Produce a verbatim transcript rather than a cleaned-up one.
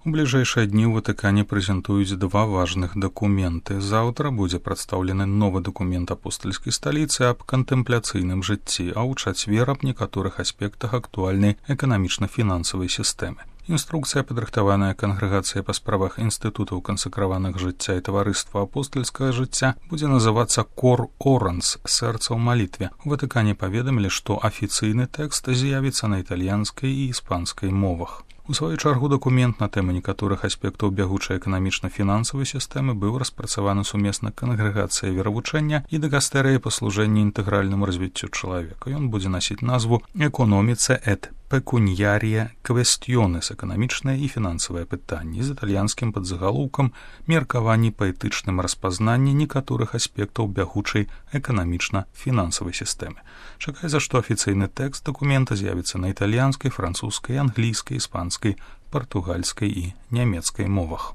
У бліжэйшыя дні ў Ватыкане прэзентуюць два важных дакументы. Заўтра будзе прадстаўлены новы дакумент апостальскай сталіцы аб кантэмпляцыйным жыцці, а ў чацвер аб некаторых аспектах актуальнай эканамічна-фінансавай сістэмы. Інструкцыя, падрыхтаваная кангрэгацыяй па справах інстытутаў кансакраваных жыцця і таварыства апостальскага жыцця, будзе называцца «Кор Оранс» – «Сэрца ў малітве». У Ватыкане паведамілі, што афіцыйны тэкст з'явіцца на італьянскай і іспанскай мовах. У сваю чаргу дакумент на тэму некаторых аспектаў бягучай эканамічна-фінансавай сістэмы быў распрацаваны сумесна кангрэгацыяй веравучэння і дыкастэрыяй па служэнні інтэгральнаму развіццю чалавека. Ён будзе насіць назву «Экономіце эт пекуньярія квестіёнес» – эканамічныя і фінансавыя пытанні, з італьянскім падзагалоўкам «Меркаванні па этычным распазнанні некаторых аспектаў бягучай эканамічна-фінансавай сістэмы». Чакаецца, што афіцыйны тэкст дакумента з'явіцца на італьянскай, французскай, англійскай, іспанскай, партугальскай і нямецкай мовах.